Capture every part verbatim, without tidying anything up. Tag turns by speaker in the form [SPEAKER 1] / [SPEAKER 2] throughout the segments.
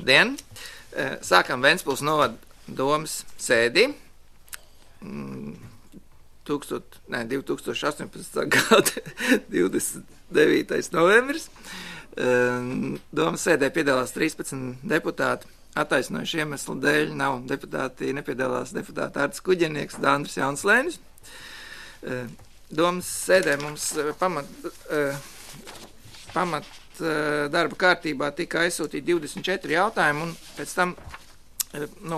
[SPEAKER 1] Labdien! Sākam Ventspils novada domas sēdi. Tūkstot, ne, divi tūkstoši astoņpadsmitā gada divdesmit devītais novembris. Domas sēdē piedalās trīspadsmit deputāti. Attaisnojuši iemeslu dēļ nav deputāti, nepiedalās deputāti Artis Kuģenieks, Dandris Jaunslēnis. Domas sēdē mums pamat, pamat darba kārtībā tika aizsūtīti divdesmit četri jautājumi, un pēc tam nu,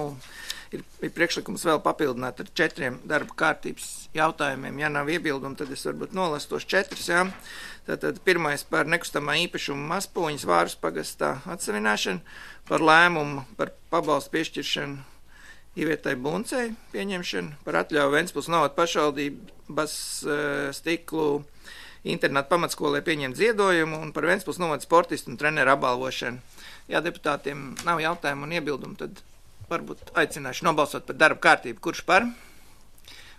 [SPEAKER 1] ir, ir priekšlikums vēl papildināt ar četriem darba kārtības jautājumiem. Ja nav iebildumi, tad es varbūt nolasu tos četrus. Jā. Tātad pirmais par nekustamā īpašuma Maspūņas Vāras pagastā atsevināšanu, par lēmumu par pabalstu piešķiršanu Ivietai Buncei pieņemšanu, par atļauju Ventspils novada pašvaldības uh, stiklu internetu pamatskolē pieņemt ziedojumu un par Ventspils novada sportistu un treneru apbalvošanu. Ja deputātiem nav jautājumu un iebildumu, tad varbūt aicināšu nobalsot par darba kārtību. Kurš par?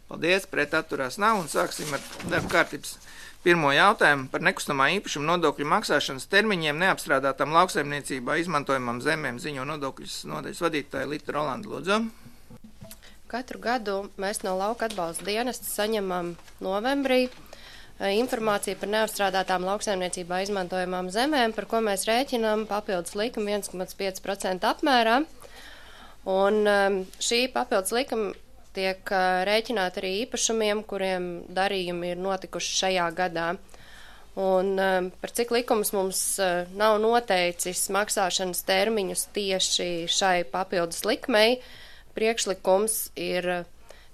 [SPEAKER 1] Paldies, pret atturās nav, un sāksim ar darba kārtības pirmo jautājumu par nekustamā īpašuma nodokļu maksāšanas termiņiem neapstrādātām lauksaimniecībā izmantojamām zemēm, ziņo nodokļus nodaļas vadītāja Lita Rolanda, lūdzu.
[SPEAKER 2] Katru gadu mēs no lauka atbalsta dienesta saņemam novembrī informāciju par neapstrādātām lauksaimniecībā izmantojamām zemēm, par ko mēs rēķinām papildus likumu viens komats pieci procenti apmērā. Un šī papildus likuma tiek rēķināta arī īpašumiem, kuriem darījumi ir notikuši šajā gadā. Un par cik likums mums nav noteicis maksāšanas termiņus tieši šai papildus likmei, priekšlikums ir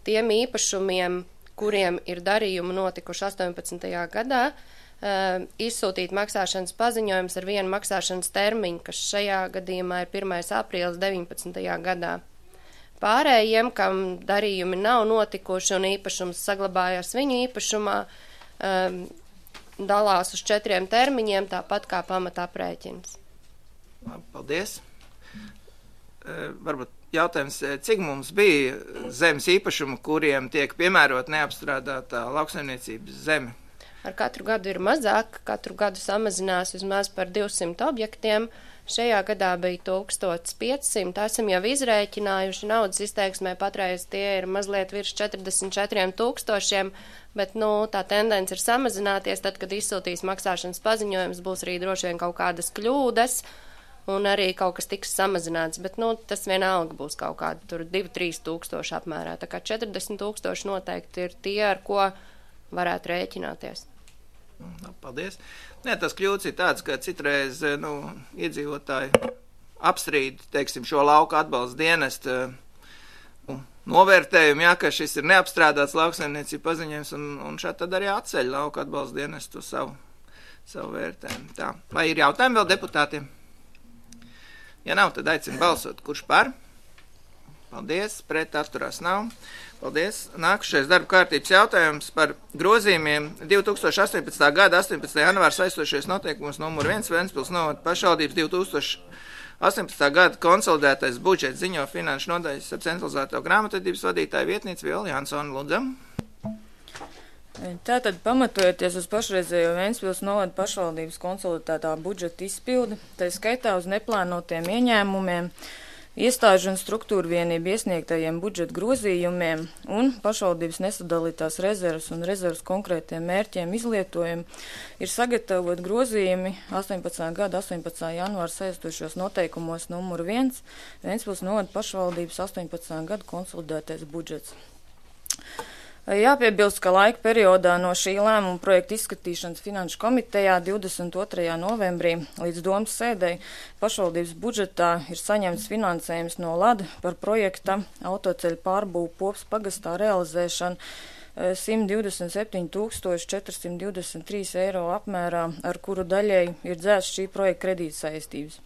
[SPEAKER 2] tiem īpašumiem, kuriem ir darījumi notikuši astoņpadsmitajā gadā, izsūtīt maksāšanas paziņojums ar vienu maksāšanas termiņu, kas šajā gadījumā ir pirmais aprīlis deviņpadsmitajā gadā. Pārējiem, kam darījumi nav notikuši un īpašums saglabājās viņu īpašumā, dalās uz četriem termiņiem, tāpat kā pamata aprēķins.
[SPEAKER 1] Paldies. Varbūt jautājums, cik mums bija zemes īpašumu, kuriem tiek piemērot neapstrādātā lauksaimniecības zeme?
[SPEAKER 2] Ar katru gadu ir mazāk, katru gadu samazinās vismaz par divsimt objektiem. Šajā gadā bija tūkstoš piecsimt, esam jau izrēķinājuši naudas izteiksmē, patreiz tie ir mazliet virs četrdesmit četriem tūkstošiem, bet nu, tā tendence ir samazināties, tad, kad izsūtīs maksāšanas paziņojums, būs arī droši vien kaut kādas kļūdas, un arī kaut kas tiks samazināts, bet nu, tas vienalga būs kaut kāda tur divi trīs tūkstoši apmērā. Tā kā četrdesmit tūkstoši noteikti ir tie, ar ko varētu rēķināties.
[SPEAKER 1] Paldies. Nē, tas kļūds ir tāds, ka citreiz nu, iedzīvotāji apstrīd, teiksim, šo lauka atbalsta dienestu nu, novērtējumu, jā, ka šis ir neapstrādāts lauksaimniecība paziņojums, un, un šādi tad arī atceļ lauka atbalsta dienestu savu, savu vērtējumu. Tā. Vai ir jautājumi vēl deputātiem? Ja nav, tad aicinu balsot. Kurš par? Paldies. Pret atturās nav. Paldies. Nākušais darba kārtības jautājums par grozījumiem divi tūkstoši astoņpadsmitā gada astoņpadsmitā janvāra saistošies noteikumus numur viens Ventspils novada pašvaldības divi tūkstoši astoņpadsmitā gada konsolidētais budžets, ziņo finanšu nodaļas ap centralizēto grāmatvedības vadītāju vietnieci Viola Jansona, lūdzam.
[SPEAKER 3] Tātad, pamatojoties uz pašreizējo Ventspils novada pašvaldības konsolidētā budžeta izpildi, tā skaitā uz neplānotiem ieņēmumiem, iestāžu un struktūru vienību iesniegtajiem budžeta grozījumiem un pašvaldības nesadalītās rezervas un rezervas konkrētiem mērķiem izlietojumu, ir sagatavot grozījumi astoņpadsmitā gada astoņpadsmitā janvāra saistošos noteikumos numur viens Ventspils novada pašvaldības astoņpadsmitā gada konsolidētais budžets. Jāpiebilst, ka laika periodā no šī lēmuma projekta izskatīšanas finanšu komitejā divdesmit otrajā novembrī līdz domas sēdei pašvaldības budžetā ir saņemts finansējums no LAD par projekta autoceļu pārbūvu Popas pagastā realizēšanu simt divdesmit septiņi tūkstoši četri simti divdesmit trīs eiro apmērā, ar kuru daļai ir dzēsts šī projekta kredītsaistības.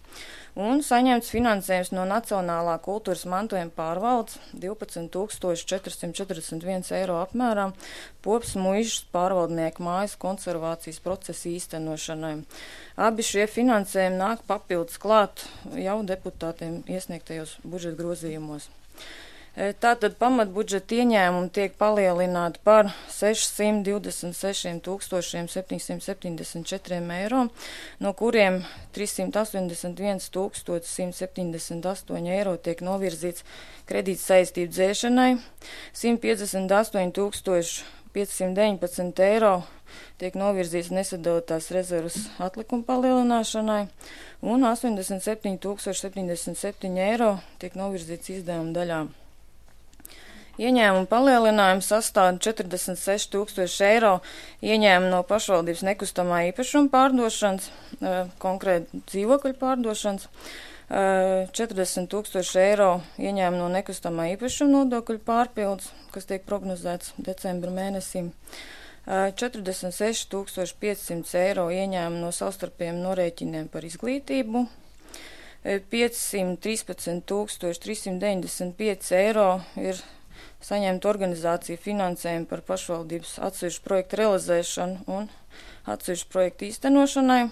[SPEAKER 3] Un saņemts finansējums no Nacionālā kultūras mantojuma pārvaldes divpadsmit tūkstoši četri simti četrdesmit viens eiro apmērā Popas muižas pārvaldnieku mājas konservācijas procesa īstenošanai. Abi šie finansējumi nāk papildus klāt jau deputātiem iesniegtajos budžeta grozījumos. Tātad pamatbudžeta ieņēmumi tiek palielināti par sešsimt divdesmit seši tūkstoši septiņsimt septiņdesmit četri eiro, no kuriem trīssimt astoņdesmit viens tūkstoši simt septiņdesmit astoņi eiro tiek novirzīts kredīt saistību dzēšanai, simt piecdesmit astoņi tūkstoši piecsimt deviņpadsmit eiro tiek novirzīts nesadalītās rezervas atlikuma palielināšanai, un astoņdesmit septiņi tūkstoši septiņdesmit septiņi eiro tiek novirzīts izdevuma daļām. Ieņēmuma palielinājums sastāv četrdesmit seši tūkstoši eiro ieņēmuma no pašvaldības nekustamā īpašuma pārdošanas, konkrēti dzīvokļu pārdošanas, četrdesmit tūkstoši eiro ieņēmuma no nekustamā īpašuma nodokļu pārpildes, kas tiek prognozēts decembra mēnesim, četrdesmit seši tūkstoši piecsimt eiro ieņēmuma no savstarpējiem norēķiniem par izglītību, piecsimt trīspadsmit tūkstoši trīssimt deviņdesmit pieci eiro ir saņemt organizāciju finansējumu par pašvaldības atsevišķu projektu realizēšanu un atsevišķu projektu īstenošanai.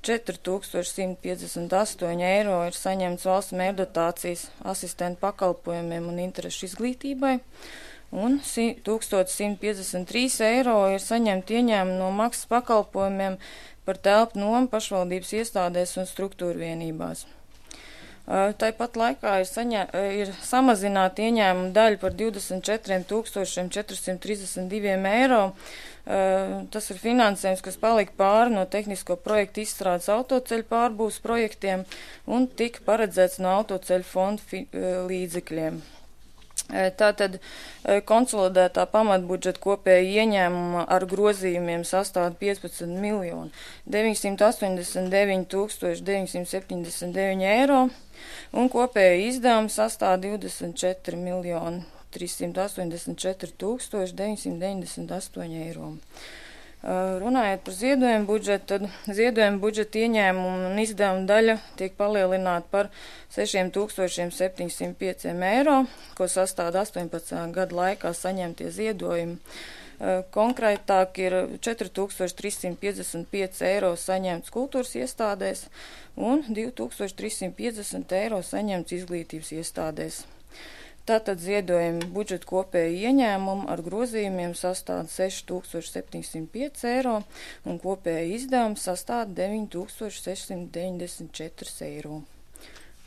[SPEAKER 3] četri tūkstoši simt piecdesmit astoņi eiro ir saņemts valsts mērdotācijas asistentu pakalpojumiem un interešu izglītībai, un tūkstoš simt piecdesmit trīs eiro ir saņemt ieņēmumu no maksas pakalpojumiem par telpu nomu pašvaldības iestādēs un struktūru vienībās. Tāpat laikā ir, saņē, ir samazināta ieņēmuma daļa par divdesmit četri tūkstoši četri simti trīsdesmit divi eiro. Tas ir finansējums, kas palika pāri no tehnisko projektu izstrādes autoceļu pārbūves projektiem un tika paredzēts no autoceļu fonda līdzekļiem. Tātad konsolidētā pamatbudžeta kopēja ieņēmuma ar grozījumiem sastāv piecpadsmit miljoni deviņsimt astoņdesmit deviņi tūkstoši deviņsimt septiņdesmit deviņi eiro un kopēja izdevuma sastāv divdesmit četri miljoni trīssimt astoņdesmit četri tūkstoši deviņsimt deviņdesmit astoņi eiro. Runājot par ziedojumu budžetu, tad ziedojumu budžeta ieņēmumu un izdevuma daļa tiek palielināta par sešiem tūkstošiem septiņsimt pieci eiro, ko sastāv astoņpadsmit gadu laikā saņemtie ziedojumi. Konkrētāk ir četri tūkstoši trīs simti piecdesmit pieci eiro saņemts kultūras iestādēs un divi tūkstoši trīs simti piecdesmit eiro saņemts izglītības iestādēs. Tātad ziedojumi budžeta kopēja ieņēmumu ar grozījumiem sastāv seši tūkstoši septiņsimt pieci eiro un kopēja izdevums sastāv deviņi tūkstoši sešsimt deviņdesmit četri eiro.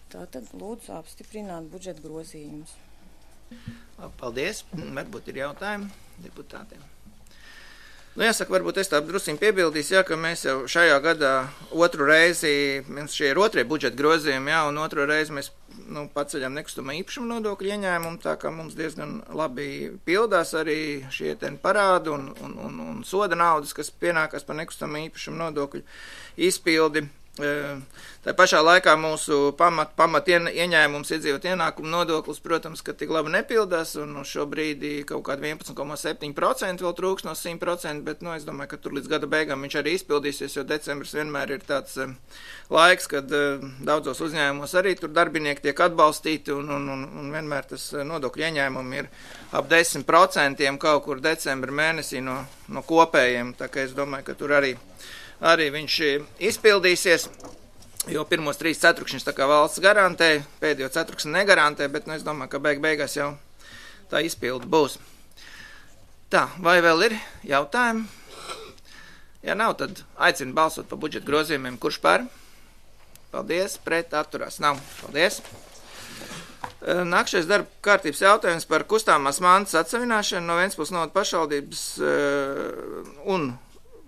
[SPEAKER 3] Tātad lūdzu apstiprināt budžeta grozījumus.
[SPEAKER 1] Paldies. Varbūt ir jautājumi deputātiem. Nu, jāsaka, varbūt es tā drusciņ piebildīšu, jā, ka mēs jau šajā gadā otru reizi, mums šie ir otrie budžeta grozījumi, jā, un otru reizi mēs nu, paceļam nekustamā īpašuma nodokļu ieņēmumu, tā kā mums diezgan labi pildās arī šie ten parādi un, un, un, un soda naudas, kas pienākas par nekustamā īpašuma nodokļu izpildi. Tā pašā laikā mūsu pamat, pamat ieņēmums iedzīvot ienākumu nodoklis, protams, ka tik labi nepildās, un šobrīd kaut kādi vienpadsmit komats septiņi procenti vēl trūks no simt procenti, bet, nu, es domāju, ka tur līdz gada beigām viņš arī izpildīsies, jo decembris vienmēr ir tāds uh, laiks, kad uh, daudzos uzņēmumos arī tur darbinieki tiek atbalstīti, un, un, un, un vienmēr tas nodokļu ieņēmumi ir ap desmit procentiem kaut kur decembra mēnesī no, no kopējiem, tā kā es domāju, ka tur arī Arī viņš izpildīsies, jo pirmos trīs ceturkšņus tā kā valsts garantē, pēdējo ceturksni negarantē, bet nu, es domāju, ka beig beigās jau tā izpilda būs. Tā, vai vēl ir jautājumi? Ja nav, tad aicinu balsot par budžeta grozījumiem. Kurš par? Paldies, pret atturās nav. Paldies. Nākšais darba kārtības jautājums par kustāmās mantas atsavināšanu no Ventspils novada pašvaldības un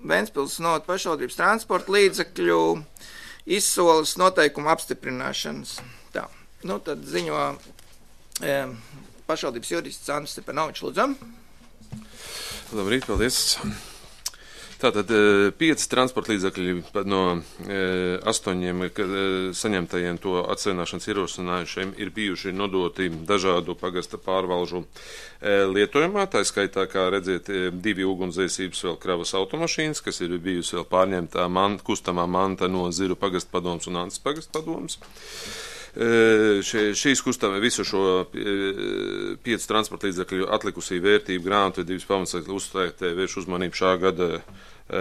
[SPEAKER 1] Ventspils novada pašvaldības transporta līdzekļu izsoles noteikumu apstiprināšanas. Tā, nu tad ziņo e, pašvaldības jurists Andris Stepanovičs, lūdzu.
[SPEAKER 4] Labrīt, paldies. Tātad pieci transporta līdzekļi no e, astoņiem ka, e, saņemtajiem to atsevināšanas ierosinājušiem ir bijuši nodoti dažādu pagasta pārvalžu e, lietojumā. Tā skaitā, kā redziet, divi ugunsdzēsības vēl kravas automašīnas, kas ir bijusi vēl pārņemtā man, kustamā manta no Ziru pagasta padoms un Antas pagasta padoms. E, šie, šīs kustamē visu šo e, pieci transporta līdzekļu atlikusī vērtību grāmatvedības pamatsakļu uzstājotē vērš uzmanību šā gada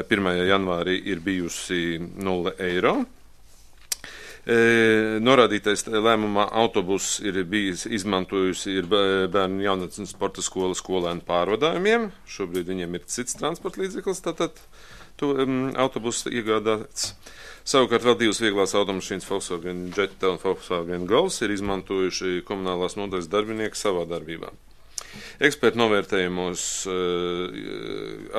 [SPEAKER 4] pirmajā janvārī ir bijusi nulle eiro. E, norādītais lēmumā autobus ir bijis izmantojusi ir bērnu jaunatnes sporta skola skolēnu pārvadājumiem. Šobrīd viņiem ir cits transporta līdzeklis, tātad to um, autobus iegādāts. Savukārt vēl divas vieglās automašīnas Volkswagen Jetta un Volkswagen Golf ir izmantojuši komunālās nodaļas darbinieki savā darbībā. Ekspertu novērtējumos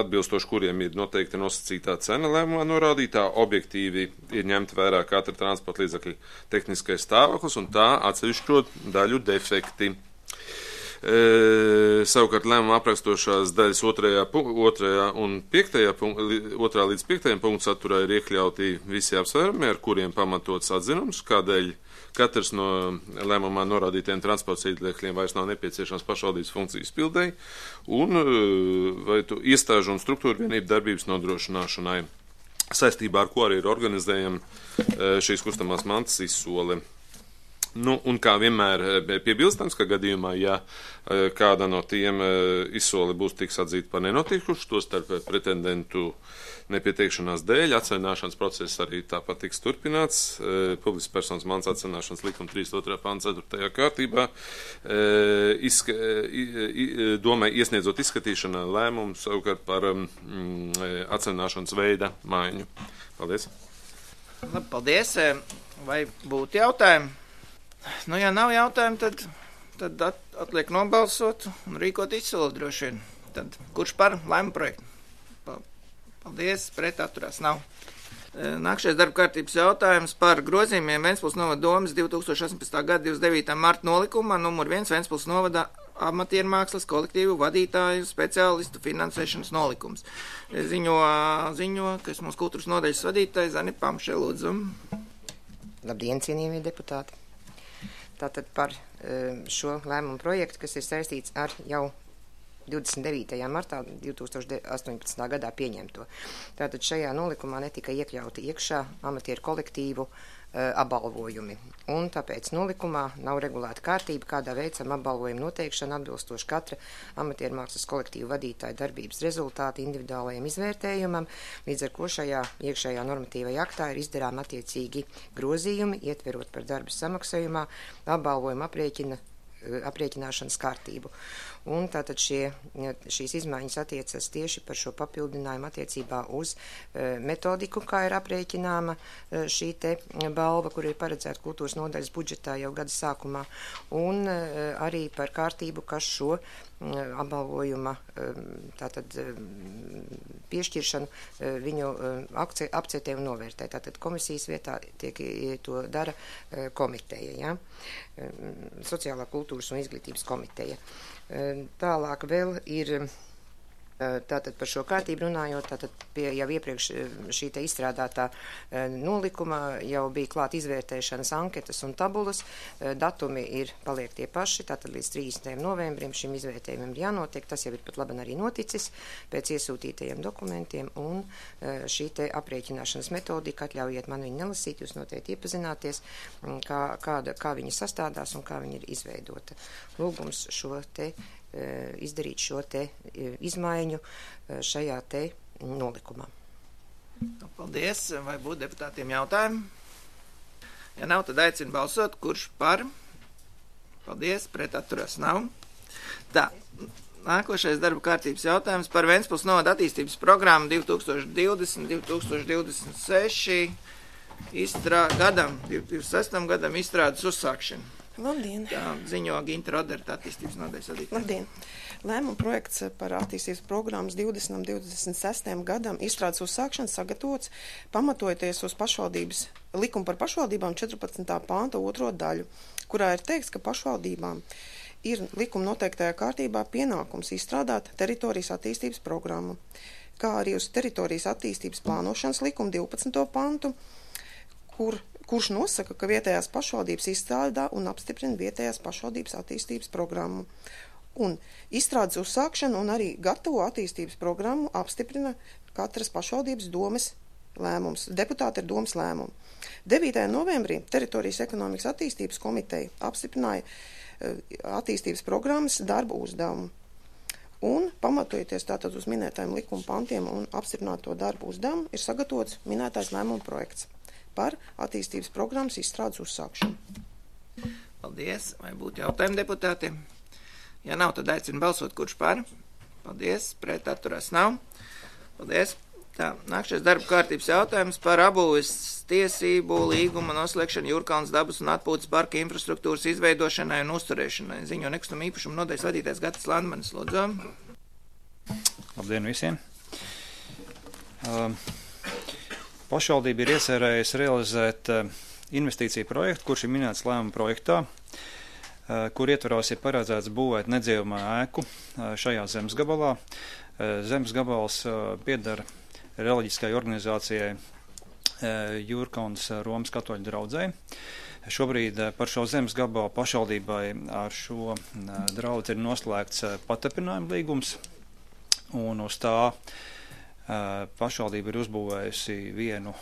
[SPEAKER 4] atbilstoši kuriem ir noteikti nosacītā cena lēmumā norādītā, objektīvi ir ņemta vērā katra transporta līdzekļa tehniskais stāvoklis un tā atsevišķo daļu defekti. E, savukārt lēmuma aprakstošās daļas otrajā, otrajā un piektajā, otrā līdz piektajam punktu saturā ir iekļauti visi apsvērumi, ar kuriem pamatots atzinums, kādēļ katrs no lēmumā norādītiem transporta līdzekļiem vairs nav nepieciešams pašvaldības funkcijas pildēji un vai tu iestāžu un struktūru vienību darbības nodrošināšanai, saistībā ar ko arī ir organizējama šīs kustamās mantas izsole. Nu, un kā vienmēr piebilstams, ka gadījumā, ja kāda no tiem izsoli būs tiks atzīta par nenotikušu, to starp pretendentu nepieteikšanās dēļ, atcenāšanas process arī tāpat tiks turpināts. Publiskas personas mans atcenāšanas likuma trīsdesmit otrā panta ceturtajā kārtībā izska, domai iesniedzot izskatīšanā lēmumu savukārt par mm, atcenāšanas veida maiņu. Paldies.
[SPEAKER 1] Labi, paldies. Vai būtu jautājumi? Nu, ja nav jautājumu, tad, tad at, atliek nobalsot un rīkot izsoli droši vien. Tad kurš par lēmumu projektu? Paldies, pret atturās nav. Nākšais darba kārtības jautājums par grozījumiem Ventspils novada domas divi tūkstoši astoņpadsmitā gada divdesmit devītā marta nolikumā numur viens Ventspils novada amatiermākslas kolektīvu vadītāju speciālistu finansēšanas nolikums. Ziņo, ziņo kas mūsu kultūras nodaļas vadītājs Zani Pamše, lūdzu.
[SPEAKER 5] Labdien, cienījamie deputāti! Tātad par šo lēmumu projektu, kas ir saistīts ar jau divdesmit devītajā martā divi tūkstoši astoņpadsmitā gadā pieņemto. Tātad šajā nolikumā netika iekļauti iekšā amatieru kolektīvu uh, apbalvojumi. Un tāpēc nolikumā nav regulēta kārtība, kādā veicam apbalvojumu noteikšanu atbilstoši katra amatieru mākslas kolektīvu vadītāja darbības rezultāti individuālajiem izvērtējumam, līdz ar ko šajā iekšējā normatīvajā aktā ir izdarām attiecīgi grozījumi, ietverot par darba samaksājumā apbalvojumu aprēķina aprēķināšanas kārtību. Un tātad šie, šīs izmaiņas attiecas tieši par šo papildinājumu attiecībā uz e, metodiku, kā ir aprēķināma e, šī te balva, kur ir paredzēta kultūras nodaļas budžetā jau gada sākumā, un e, arī par kārtību, kas šo e, apbalvojuma e, tātad e, piešķiršanu e, viņu e, akce, apcetē un novērtē. Tātad komisijas vietā tiek e, to dara e, komiteja, ja? e, Sociālā kultūras un izglītības komiteja. Tālāk vēl ir tātad par šo kārtību runājot, tātad pie jau iepriekš šī te izstrādātā nolikuma jau bija klāt izvērtēšanas anketas un tabulas, datumi ir paliek tie paši, tātad līdz trīsdesmitajam novembrim šim izvērtējumam ir jānotiek, tas jau ir pat labi arī noticis pēc iesūtītajiem dokumentiem, un šī te aprēķināšanas metodika, atļaujiet man viņu nelasīt, jūs noteikti iepazināties, kā, kāda, kā viņa sastādās un kā viņa ir izveidota. Lūgums šo te izdarīt šo te izmaiņu šajā te nolikumā.
[SPEAKER 1] Paldies. Vai būtu deputātiem jautājumi? Ja nav, tad aicinu balsot. Kurš par? Paldies. Pret atturās nav. Tā. Nākošais darba kārtības jautājums par Ventspils novada attīstības programmu divi tūkstoši divdesmit līdz divi tūkstoši divdesmit seši izstrā, gadam, divdesmit sestajam gadam izstrādes uzsākšanu.
[SPEAKER 6] Labdien!
[SPEAKER 1] Tā ziņo Ginta Roderta attīstības nodaļas vadītāja.
[SPEAKER 6] Labdien! Lēmuma projekts par attīstības programmas divdesmit līdz divdesmit sestajam gadam izstrādes uzsākšanu sagatavots pamatojoties uz pašvaldības likumu par pašvaldībām četrpadsmitā panta otro daļu, kurā ir teikts, ka pašvaldībām ir likuma noteiktajā kārtībā pienākums izstrādāt teritorijas attīstības programmu, kā arī uz teritorijas attīstības plānošanas likuma divpadsmito pantu, kur kurš nosaka, ka vietējās pašvaldības izstrādā un apstiprina vietējās pašvaldības attīstības programmu. Un izstrādes uzsākšanu un arī gatavo attīstības programmu apstiprina katras pašvaldības domes lēmums. Deputāti ir domes lēmumi. devītajā novembrī Teritorijas ekonomikas attīstības komiteja apstiprināja attīstības programmas darba uzdevumu. Un, pamatojoties tātad uz minētajiem likuma pantiem un apstiprināto darbu uzdevumu, ir sagatavots minētais lēmuma projekts. par attīstības programmas izstrādes uzsākšanu.
[SPEAKER 1] Paldies. Vai būtu jautājumi deputātiem? Ja nav, tad aicinu balsot, kurš par. Paldies. Pret atturās nav. Paldies. Tā, nākšais darba kārtības jautājums par abūves tiesību līguma noslēgšanu Jūrkalns dabas un atpūtas parka infrastruktūras izveidošanai un uzturēšanai. Ziņo nekustamo īpašumu nodaļas vadītājs Gatis Landmanis, lūdzu.
[SPEAKER 7] Labdien visiem! Uh, pašvaldība ir iecerējusi realizēt uh, investīciju projektu, kurš ir minēts lēmuma projektā, uh, kur ietvaros ir paredzēts būvēt nedzīvamā ēku uh, šajā zemes gabalā. Uh, zemes gabals uh, piedara reliģiskai organizācijai Jūrkalns Romas katoļu draudzei. Šobrīd par šo zemes gabalu pašvaldībai ar šo draudzi ir noslēgts patapinājuma līgums, un uz tā pašvaldība ir uzbūvējusi vienu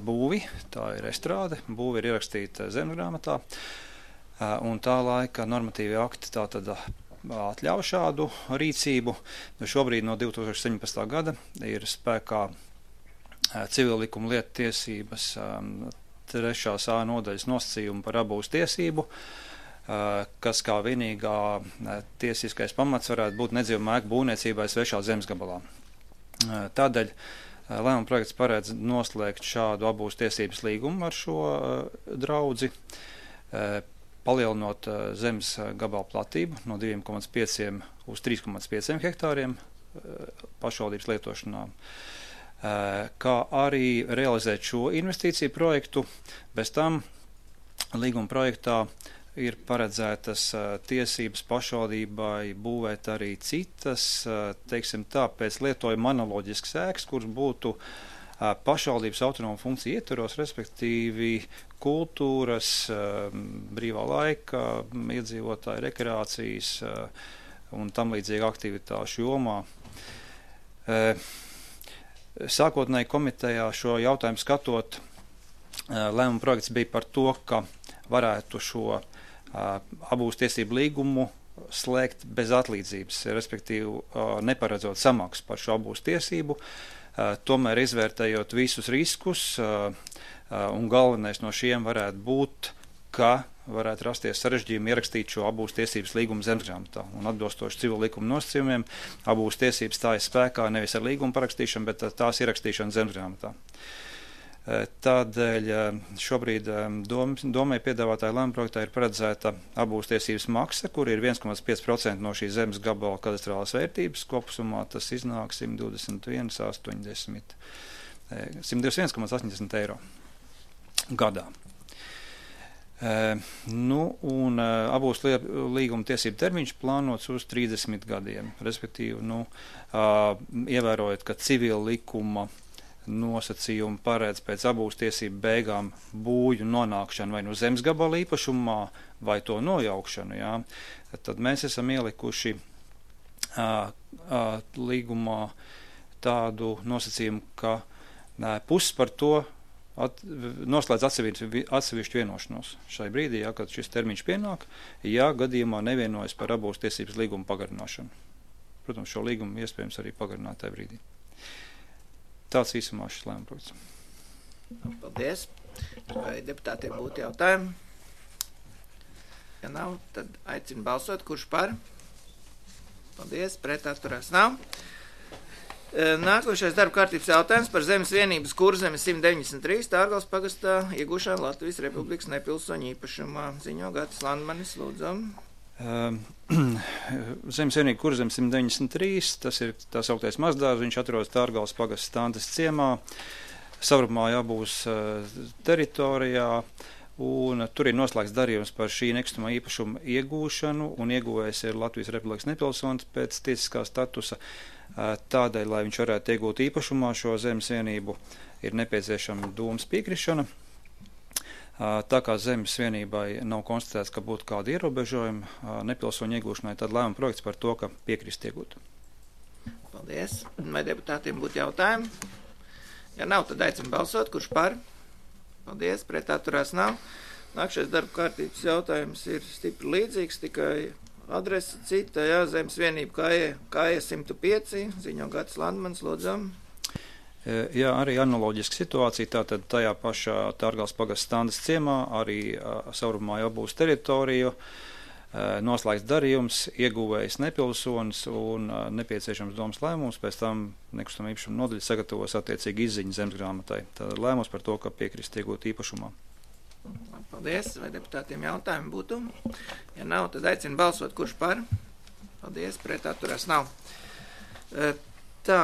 [SPEAKER 7] būvi, tā ir estrāde, būvi ir ierakstīta zemesgrāmatā, un tā laika normatīvi akti tā tad atļauj šādu rīcību. Šobrīd no divi tūkstoši septiņpadsmitā gada ir spēkā civillikuma lietu tiesības trešās A nodaļas nosacījumi par abūves tiesību, kas kā vienīgā tiesiskais pamats varētu būt nedzīvamā ēku būvniecībai svešā zemes gabalā. Tādēļ lēmuma projekts paredz noslēgt šādu abūves tiesības līgumu ar šo draudzi, palielinot zemes gabalu platību no diviem komats pieciem uz trīs komats pieciem hektāriem pašvaldības lietošanā, kā arī realizēt šo investīciju projektu. Bez tam līguma projektā ir paredzētas tiesības pašvaldībai būvēt arī citas, teiksim tā, pēc lietojuma analoģiskas ēkas, kuras būtu pašvaldības autonoma funkcija ietvaros, respektīvi kultūras, brīvā laika, iedzīvotāju rekreācijas un tam līdzīga aktivitāšu jomā. Sākotnēji komitejā šo jautājumu skatot, lēmuma projekts bija par to, ka varētu šo abūves tiesību līgumu slēgt bez atlīdzības, respektīvi neparedzot samaksu par šo abūves tiesību, tomēr izvērtējot visus riskus, un galvenais no šiem varētu būt, ka varētu rasties sarežģījumi ierakstīt šo abūves tiesības līgumu zemesgrāmatā. Un atbilstoši civil likuma nosacījumiem, abūves tiesības stājas spēkā nevis ar līgumu parakstīšanu, bet tās ierakstīšanu zemesgrāmatā. Tādēļ šobrīd domai piedāvātāja lēmuma projektā ir paredzēta abūves tiesības maksa, kur ir viens komats pieci procenti no šīs zemes gabala kadastrālās vērtības. Kopsumā tas iznāk simt divdesmit viens komats astoņdesmit eiro gadā. Nu, un abūves līguma tiesību termiņš plānots uz trīsdesmit gadiem, respektīvi, nu, ievērojot, ka civila likuma nosacījumi paredz pēc abūves tiesību beigām būju nonākšanu vai no zemes gabala īpašumā, vai to nojaukšanu, jā, tad mēs esam ielikuši a, a, līgumā tādu nosacījumu, ka a, puses par to at, noslēdz atsevišķu, atsevišķu vienošanos šai brīdī, jā, kad šis termiņš pienāk, ja gadījumā nevienojas par abūves tiesības līgumu pagarināšanu. Protams, šo līgumu iespējams arī pagarināt tajā brīdī. Tāds īsumā šis lēmuma projekts.
[SPEAKER 1] Paldies. Vai deputātiem būtu jautājumi? Ja nav, tad aicinu balsot, kurš par. Paldies, pret atturās nav. Nākošais darba kārtības jautājums par zemes vienības Kurzemes simt deviņdesmit trīs Tārgals pagastā iegūšanu Latvijas Republikas nepilsoņu īpašumā. Ziņo Gatis Landmanis, lūdzu.
[SPEAKER 7] Zemes vienība Kurzemes simt deviņdesmit trīs, tas ir tā sauktais mazdārs, viņš atrodas Tārgals pagasta Stantes ciemā, savrupumā jābūs teritorijā, un tur ir noslēgts darījums par šī nekustamā īpašuma iegūšanu, un ieguvējs ir Latvijas Republikas nepilsonis pēc tiesiskā statusa. Tādēļ, lai viņš varētu iegūt īpašumā šo zemes vienību, ir nepieciešama dūmas piekrišana. Tā kā zemes vienībai nav konstatēts, ka būtu kādi ierobežojumi nepilsoņu iegūšanai, tad lēmuma projekts par to, ka piekrist iegūt.
[SPEAKER 1] Paldies. Vai deputātiem būtu jautājumi? Ja nav, tad aicinu balsot, kurš par. Paldies, pret atturās nav. Nākšais darba kārtības jautājums ir stipri līdzīgs, tikai adrese cita, jā, zemes vienība Kāja simt pieci, ziņo Gatis Landmanis, lūdzam.
[SPEAKER 7] Jā, arī analoģiska situācija, tātad tajā pašā Tārgales pagasta Standas ciemā arī savrumā jau būs teritorija, noslēgts darījums, ieguvējs nepilsonis un nepieciešams domas lēmums, pēc tam nekustamā īpašuma nodaļa sagatavos attiecīgi izziņu zemesgrāmatai. Tātad lēmums par to, ka piekrist iegūt īpašumā.
[SPEAKER 1] Paldies, vai deputātiem jautājumi būtu? Ja nav, tad aicinu balsot, kurš par. Paldies, pret atturās nav. Tā,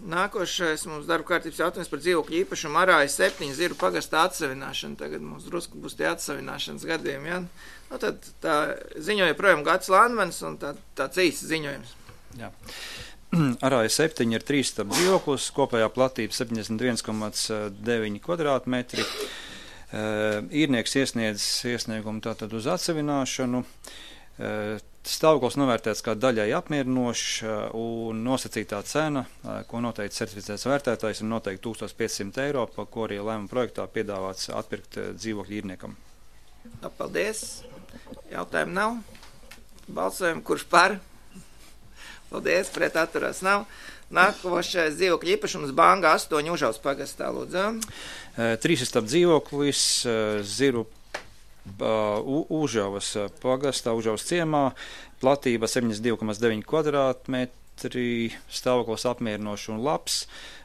[SPEAKER 1] nākošais mums darba kārtības jautājums par dzīvokļu īpašumu Arājas septiņu Ziru pagastā atsavināšanu. Tagad mums drusku būs tie atsavināšanas gadiem, ja? Nu, tad tā ziņoja projām Gads Landmanis un tā, tāds īsts ziņojums.
[SPEAKER 7] Jā. Arājas septiņi ir trīs stab dzīvoklis, kopējā platība septiņdesmit viens komats deviņi kvadrātmetri. Uh, īrnieks iesniedz iesniegumu tātad uz atsavināšanu. Uh, Stāvoklis novērtēts kā daļai apmierinošs un nosacītā cena, ko noteikti certificēts vērtētājs, ir noteikti tūkstoš piecsimt eiro, pa ko arī lēmuma projektā piedāvāts atpirkt dzīvokļu īrniekam.
[SPEAKER 1] Paldies. Jautājumu nav. Balsojam, kurš par? Paldies, pret atturās nav. Nākošais dzīvokļu īpašums Banga astoņi Užavas pagastā, lūdzu.
[SPEAKER 7] Trīs stab dzīvoklis Ziru Uh, Užavas pagastā, Užavas ciemā, platība septiņdesmit divi komats deviņi kvadrātmetri, stāvoklis apmierinošs un labs,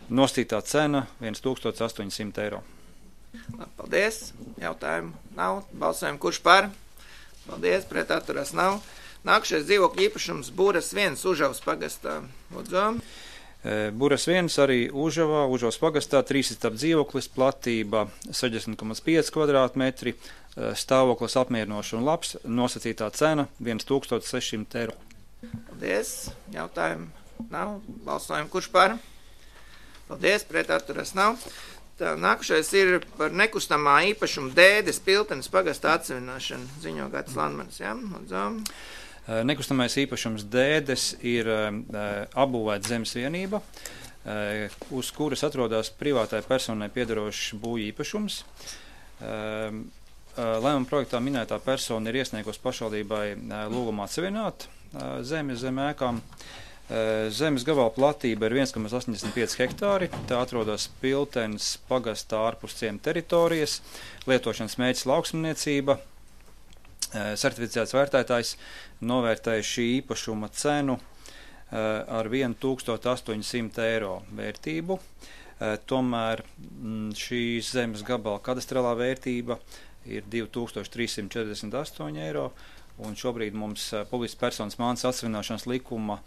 [SPEAKER 7] nostītā cena tūkstoš astoņsimt eiro.
[SPEAKER 1] Paldies, jautājumu nav, balsojam, kurš par? Paldies, pret atturās nav. Nākušais dzīvokļu īpašums Buras viens Užavas pagastā, lūdzu.
[SPEAKER 7] Buras viens arī Užavā, Užavas pagastā, trīs stab dzīvoklis, platība sešdesmit komats pieci kvadrātmetri, stāvoklis apmierinošs un labs, nosacītā cena tūkstoš sešsimt eiro.
[SPEAKER 1] Paldies, jautājumu nav, balsojam, kurš par? Paldies, pret atturas nav. Tā, nākušais ir par nekustamā īpašuma Dēdes Piltenes pagastā atsavināšanu, ziņo Gads Landmanis, jā, lūdzu.
[SPEAKER 7] Nekustamais īpašums Dēdes ir apbūvēta zemes vienība, uz kuras atrodas privātai personai piederošs būvju īpašums. Lēmuma projektā minētā persona ir iesniegusi pašvaldībai lūgumu atsevināt zemi zem ēkām. Zemes gabala platība ir viens komats astoņdesmit pieci hektāri, tā atrodas Piltenes pagastā ārpus ciema teritorijas, lietošanas mērķis lauksaimniecība. Certificēts vērtētājs novērtēja šī īpašuma cenu ar tūkstoš astoņsimt eiro vērtību. Tomēr šīs zemes gabala kadastrālā vērtība ir divi tūkstoši trīs simti četrdesmit astoņi eiro, un šobrīd mums publiskas personas mantas atsavināšanas likuma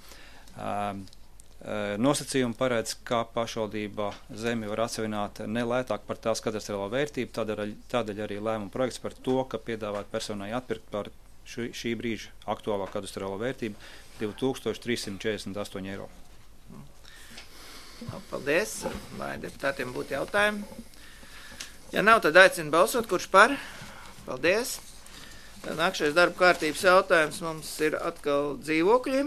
[SPEAKER 7] nosacījumi paredz, ka pašvaldība zemi var atsevināt nelētāk par tās kadastrālo vērtību, tādēļ, tādēļ arī lēmuma projekts par to, ka piedāvāt personai atpirkt par šī, šī brīža aktuālā kadastrālo vērtību divi tūkstoši trīs simti četrdesmit astoņi eiro.
[SPEAKER 1] Paldies, vai deputātiem būtu jautājumi? Ja nav, tad aicinu balsot, kurš par? Paldies. Nākšais darba kārtības jautājums mums ir atkal dzīvokļi.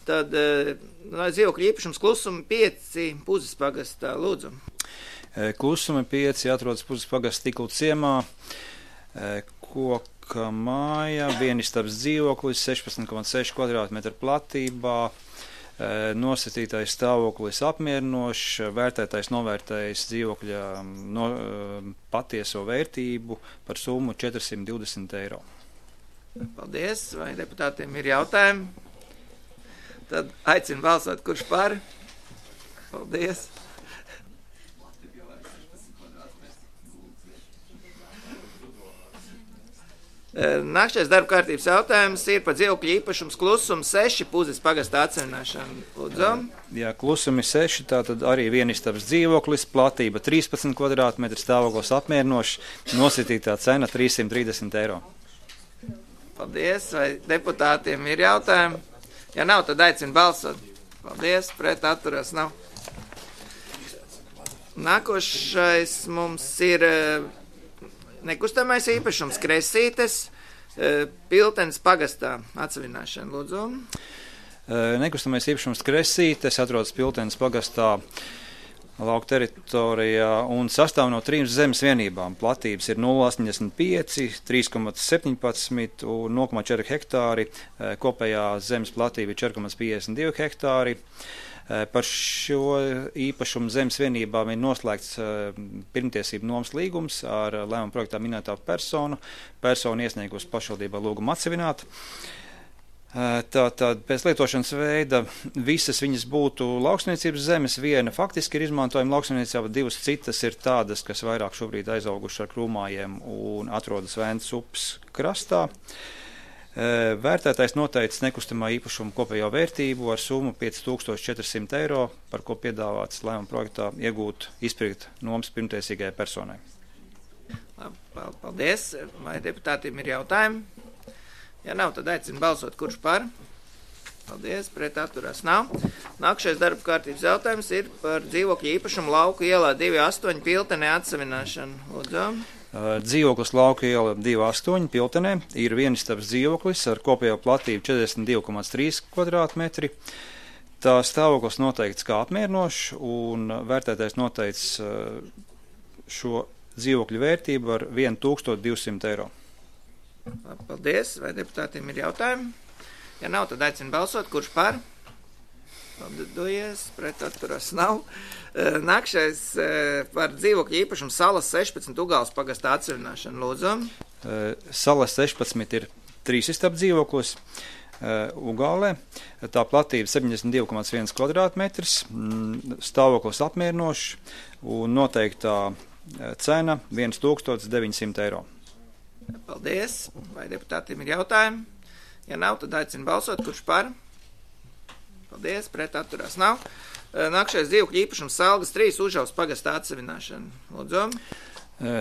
[SPEAKER 1] Tad dzīvokļu īpašums Klusuma pieci Puzes pagastā, lūdzu.
[SPEAKER 7] Klusuma pieci atrodas Puzes pagasta Tiklu ciemā, koka māja, vienistabs dzīvoklis, sešpadsmit komats seši kvadrātmetri platībā, nosacītais stāvoklis apmierinošs, vērtētais novērtējis dzīvokļa no, patieso vērtību par summu četri simti divdesmit eiro.
[SPEAKER 1] Paldies, vai deputātiem ir jautājumi? Tad aicinu balsot, kurš par. Paldies. Nākšais darba kārtības jautājums ir par dzīvokļu īpašums Klusuma seši Puzes pagastā atsavināšanu. Lūdzu.
[SPEAKER 7] Jā, Klusumi seši, tātad arī vienistabs dzīvoklis, platība trīspadsmit kvadrātmetri, stāvoklis apmierinošs, nosacītā cena trīs simti trīsdesmit eiro.
[SPEAKER 1] Paldies, vai deputātiem ir jautājumi? Ja nav, tad aicinu balsot. Paldies, pret atturas nav. Nākošais mums ir nekustamais īpašums Kresītes Piltenes pagastā atsavināšana, lūdzu.
[SPEAKER 7] Nekustamais īpašums Kresītes atrodas Piltenes pagastā lauka teritorijā un sastāv no trim zemes vienībām. Platības ir nulle komats astoņdesmit pieci, trīs komats septiņpadsmit un nulle komats četri hektāri. Kopējā zemes platība ir četri komats piecdesmit divi hektāri. Par šo īpašumu zemes vienībām ir noslēgts pirmtiesību nomas līgums ar lēmuma projektā minētā personu. Persona iesniegusi pašvaldībā lūgumu atsevināt. Tātad pēc lietošanas veida visas viņas būtu lauksniecības zemes, viena faktiski ir izmantojama lauksniecībā, divas citas ir tādas, kas vairāk šobrīd aizauguši ar krūmājiem un atrodas Vēncas upes krastā. Vērtētājs noteicis nekustamā īpašuma kopējo vērtību ar summu pieci tūkstoši četri simti eiro, par ko piedāvāts lēmuma projektā iegūt izpirkt nomas pirmtiesīgajai personai.
[SPEAKER 1] Paldies. Vai deputātiem ir jautājumi? Ja nav, tad aicinu balsot, kurš par. Paldies, pret atturās nav. Nākamais darba kārtības jautājums ir par dzīvokļu īpašumu Lauku ielā divi astoņi Piltenē atsavināšanu. Lūdzu.
[SPEAKER 7] Dzīvoklis Lauku iela divi astoņi Piltenē ir vienistabas dzīvoklis ar kopējo platību četrdesmit divi komats trīs kvadrātmetri. Tā stāvoklis noteikts kā apmierinošs un vērtētājs noteicis šo dzīvokļu vērtību ar tūkstoš divsimt eiro.
[SPEAKER 1] Paldies. Vai deputātiem ir jautājumi? Ja nav, tad aicinu balsot, kurš par. Paldies, pret atturas nav. Nākšais par dzīvokļu īpašumu Salas sešpadsmit Ugāles pagastā atsevināšanu. Lūdzu.
[SPEAKER 7] Salas sešpadsmit ir trīsistabu dzīvoklis Ugālē. Tā platība septiņdesmit divi komats viens kvadrātmetrs, stāvoklis apmierinošs un noteiktā cena tūkstoš deviņi simti eiro.
[SPEAKER 1] Paldies. Vai deputātiem ir jautājumi? Ja nav, tad aicinu balsot, kurš par. Paldies, pret atturās nav. Nākšais dzīvokļu īpašums Selgas trīs Užavas pagastā atsevināšana. Lūdzu.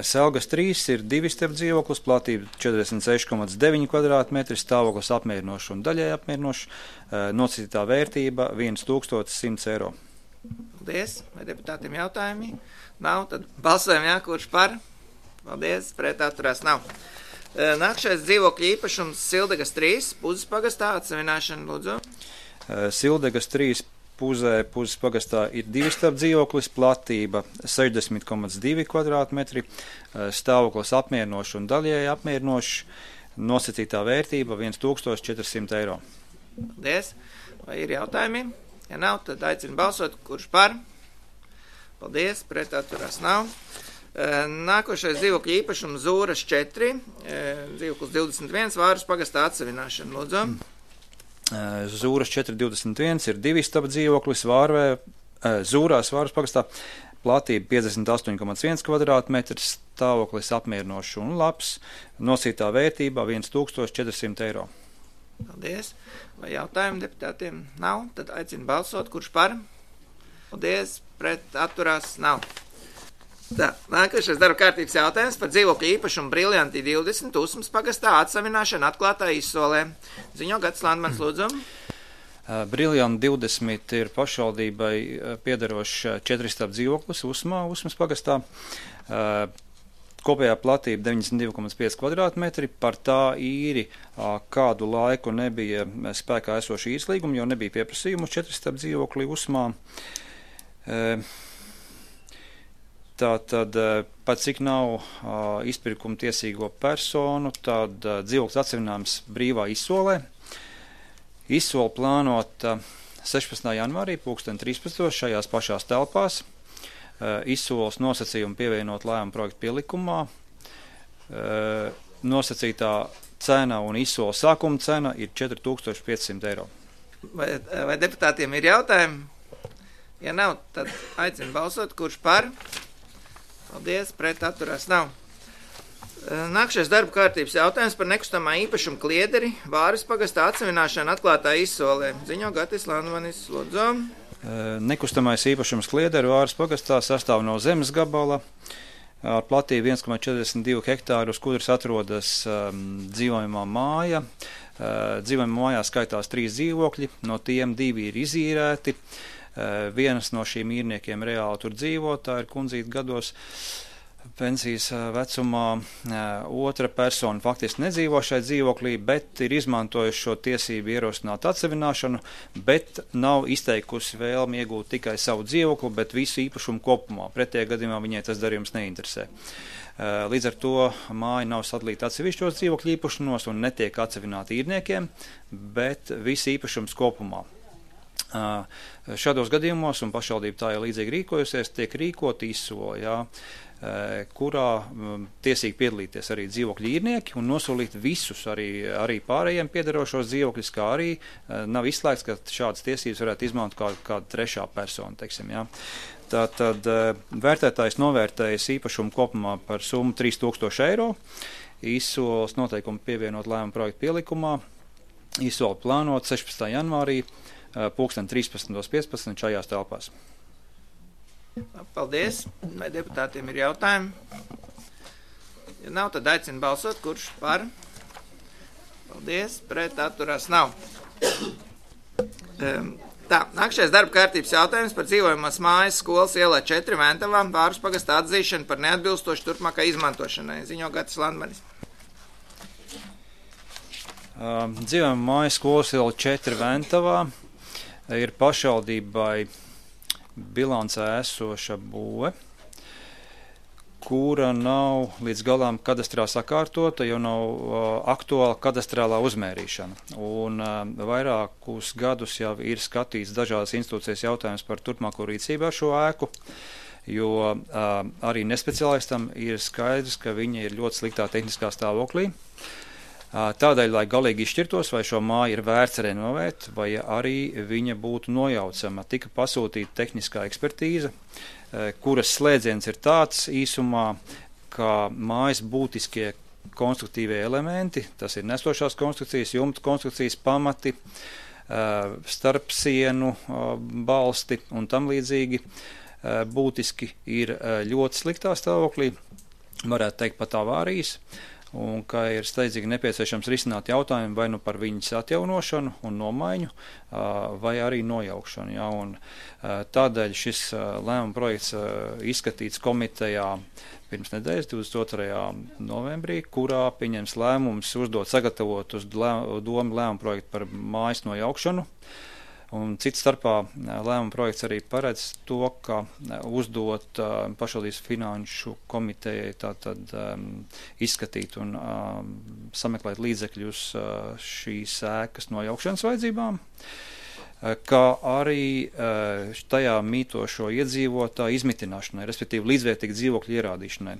[SPEAKER 7] Selgas trīs ir divistabu dzīvoklis, platība četrdesmit seši komats deviņi kvadrātmetri, stāvoklis apmierinošs un daļai apmierinošs, nosacītā vērtība tūkstoš simts eiro.
[SPEAKER 1] Paldies. Vai deputātiem jautājumi? Nav, tad balsojam, jā, kurš par. Paldies, pret atturās nav. Nākšais dzīvokļu īpašums Sildegas trīs Puzes pagastā atsevināšana. Lūdzu.
[SPEAKER 7] Sildegas trīs Puzē, Puzes pagastā ir divistabu dzīvoklis, platība sešdesmit komats divi kvadrātmetri, stāvoklis apmierinošs un daļēji apmierinošs, nosacītā vērtība tūkstoš četri simti eiro.
[SPEAKER 1] Paldies. Vai ir jautājumi? Ja nav, tad aicinu balsot, kurš par. Paldies, pret atturās nav. Nākošais dzīvokļu īpašums Zūras četri, dzīvoklis divdesmit viens Vāras pagastā atsevināšana. Lūdzu.
[SPEAKER 7] Zūras četri divdesmit viens ir divistaba dzīvoklis Vārvē, Zūrās Vāras pagastā, platība piecdesmit astoņi komats viens kvadrātmetrs, stāvoklis apmierinošs un labs, nosītā vērtība tūkstoš četri simti eiro.
[SPEAKER 1] Paldies. Vai jautājumi deputātiem nav? Tad aicinu balsot, kurš par. Paldies, pret atturās nav. Tā, nākošais darba kārtības jautājums par dzīvokļu īpašumu Briljanti divdesmit Usmas pagastā atsavināšana atklātā izsolē. Ziņo Gatis Landmans, lūdzu.
[SPEAKER 7] Briljanti divdesmit ir pašvaldībai piederošs četristābu dzīvoklis Usmā, Usmas pagastā. Kopējā platība deviņdesmit divi komats pieci kvadrātmetri. Par tā īri kādu laiku nebija spēkā esoši īslīgumi, jo nebija pieprasījumu četristābu dzīvokli Usmā. Tātad, pat cik nav uh, izpirkuma tiesīgo personu, tad uh, dzīvoklis atsevināms brīvā izsolē. Izsole plānota sešpadsmitā janvārī, pulksten trīspadsmitos šajās pašās telpās. Uh, izsoles nosacījumi pievienot lēmuma projektu pielikumā. Uh, nosacītā cena un izsoles sākuma cena ir četri tūkstoši pieci simti eiro.
[SPEAKER 1] Vai, vai deputātiem ir jautājumi? Ja nav, tad aicinu balsot, kurš par. Paldies, pret atturās nav. Nākšais darba kārtības jautājums par nekustamā īpašumu Kliederi Vāras pagastā atsevināšana atklātā izsolē. Ziņo Gatis Landmanis, lūdzu.
[SPEAKER 7] Nekustamais īpašums Kliederi Vāras pagastā sastāv no zemes gabala ar platību viens komats četrdesmit divi hektāru, uz kuras atrodas um, dzīvojamā māja. Uh, dzīvojamā mājā skaitās trīs dzīvokļi, no tiem divi ir izīrēti. Uh, vienas no šīm īrniekiem reāli tur dzīvo, tā ir kundzīte gados pensijas uh, vecumā. Uh, otra persona faktiski nedzīvo šai dzīvoklī, bet ir izmantojuši šo tiesību ierosināt atsevināšanu, bet nav izteikusi vēlmi iegūt tikai savu dzīvokli, bet visu īpašumu kopumā. Pretējā gadījumā viņai tas darījums neinteresē. Uh, līdz ar to māja nav sadalīta atsevišķos dzīvokļu īpašumos un netiek atsevināta īrniekiem, bet viss īpašums kopumā. Šādos gadījumos, un pašvaldība tā ir līdzīgi rīkojusies, tiek rīkot izsoli, jā, kurā tiesīgi piedalīties arī dzīvokļu īrnieki un nosolīt visus arī, arī pārējiem piederošos dzīvokļus, kā arī nav izslēgts, ka šādas tiesības varētu izmantot kā, kāda trešā persona, teiksim, jā. Tātad vērtētājs novērtējas īpašumu kopumā par summu trīs tūkstoši eiro, izsoles noteikumu pievienot lēmumu projektu pielikumā, izsoli plānot sešpadsmitā janvārī, pulksten trīspadsmit piecpadsmit šajās telpās.
[SPEAKER 1] Paldies. Vai deputātiem ir jautājumi? Ja nav, tad aicinu balsot, kurš par. Paldies. Pret atturās nav. Tā, nākšais darba kārtības jautājums par dzīvojamās mājas skolas ielā četri Ventavā Vārus pagasta atzīšanu par neatbilstošu turpmākai izmantošanai. Ziņo Gatis Landmanis.
[SPEAKER 7] Dzīvojamā mājas skolas ielā četri Ventavā ir pašvaldībai bilancē esoša būve, kura nav līdz galām kadastrā sakārtota, jo nav uh, aktuāla kadastrālā uzmērīšana. Un uh, vairākus gadus jau ir skatīts dažādas institūcijas jautājums par turpmāko rīcību ar šo ēku, jo uh, arī nespeciālistam ir skaidrs, ka viņa ir ļoti sliktā tehniskā stāvoklī. Tādēļ, lai galīgi izšķirtos, vai šo māju ir vērts renovēt, vai arī viņa būtu nojaucama, tika pasūtīta tehniskā ekspertīze, kuras slēdziens ir tāds īsumā, ka mājas būtiskie konstruktīvie elementi, tas ir nesošās konstrukcijas, jumta konstrukcijas pamati, starpsienu balsti un tam līdzīgi, būtiski ir ļoti sliktā stāvoklī, varētu teikt pat avārijas, un ka ir steidzīgi nepieciešams risināt jautājumu vai nu par viņas atjaunošanu un nomaiņu, vai arī nojaukšanu. Ja, un tādēļ šis lēmuma projekts izskatīts komitejā pirms nedēļas, divdesmit otrajā novembrī, kurā pieņems lēmums uzdot sagatavot uz domu lēmuma projektu par mājas nojaukšanu. Un cits starpā lēmuma projekts arī paredz to, ka uzdot uh, pašvaldības finanšu komitejai tātad um, izskatīt un um, sameklēt līdzekļus uh, šīs ēkas nojaukšanas vajadzībām, uh, kā arī uh, tajā mītošo iedzīvotāju izmitināšanai, respektīvi līdzvērtīgu dzīvokļu ierādīšanai.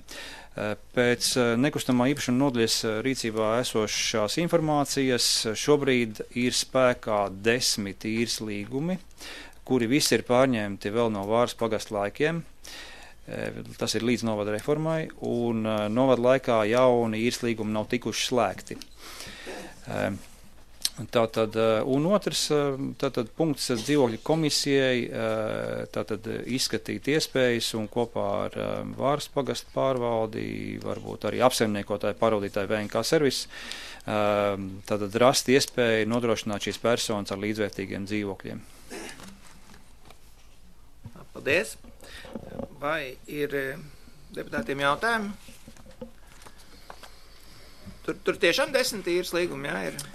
[SPEAKER 7] Pēc nekustamā īpašuma nodaļas rīcībā esošās informācijas šobrīd ir spēkā desmit īres līgumi, kuri visi ir pārņemti vēl no Vāras pagasta laikiem. Tas ir līdz novada reformai, un novada laikā jauni īres līgumi nav tikuši slēgti. Tātad, un otrs tātad, punkts dzīvokļu komisijai tātad, izskatīt iespējas un kopā ar Vāras pagastu pārvaldi, varbūt arī apsaimniekotāju pārvaldītāju V N K servis, tātad rast iespēju nodrošināt šīs personas ar līdzvērtīgiem dzīvokļiem.
[SPEAKER 1] Paldies. Vai ir deputātiem jautājumi? Tur, tur tiešām desmit īres līgumi, jā, ir?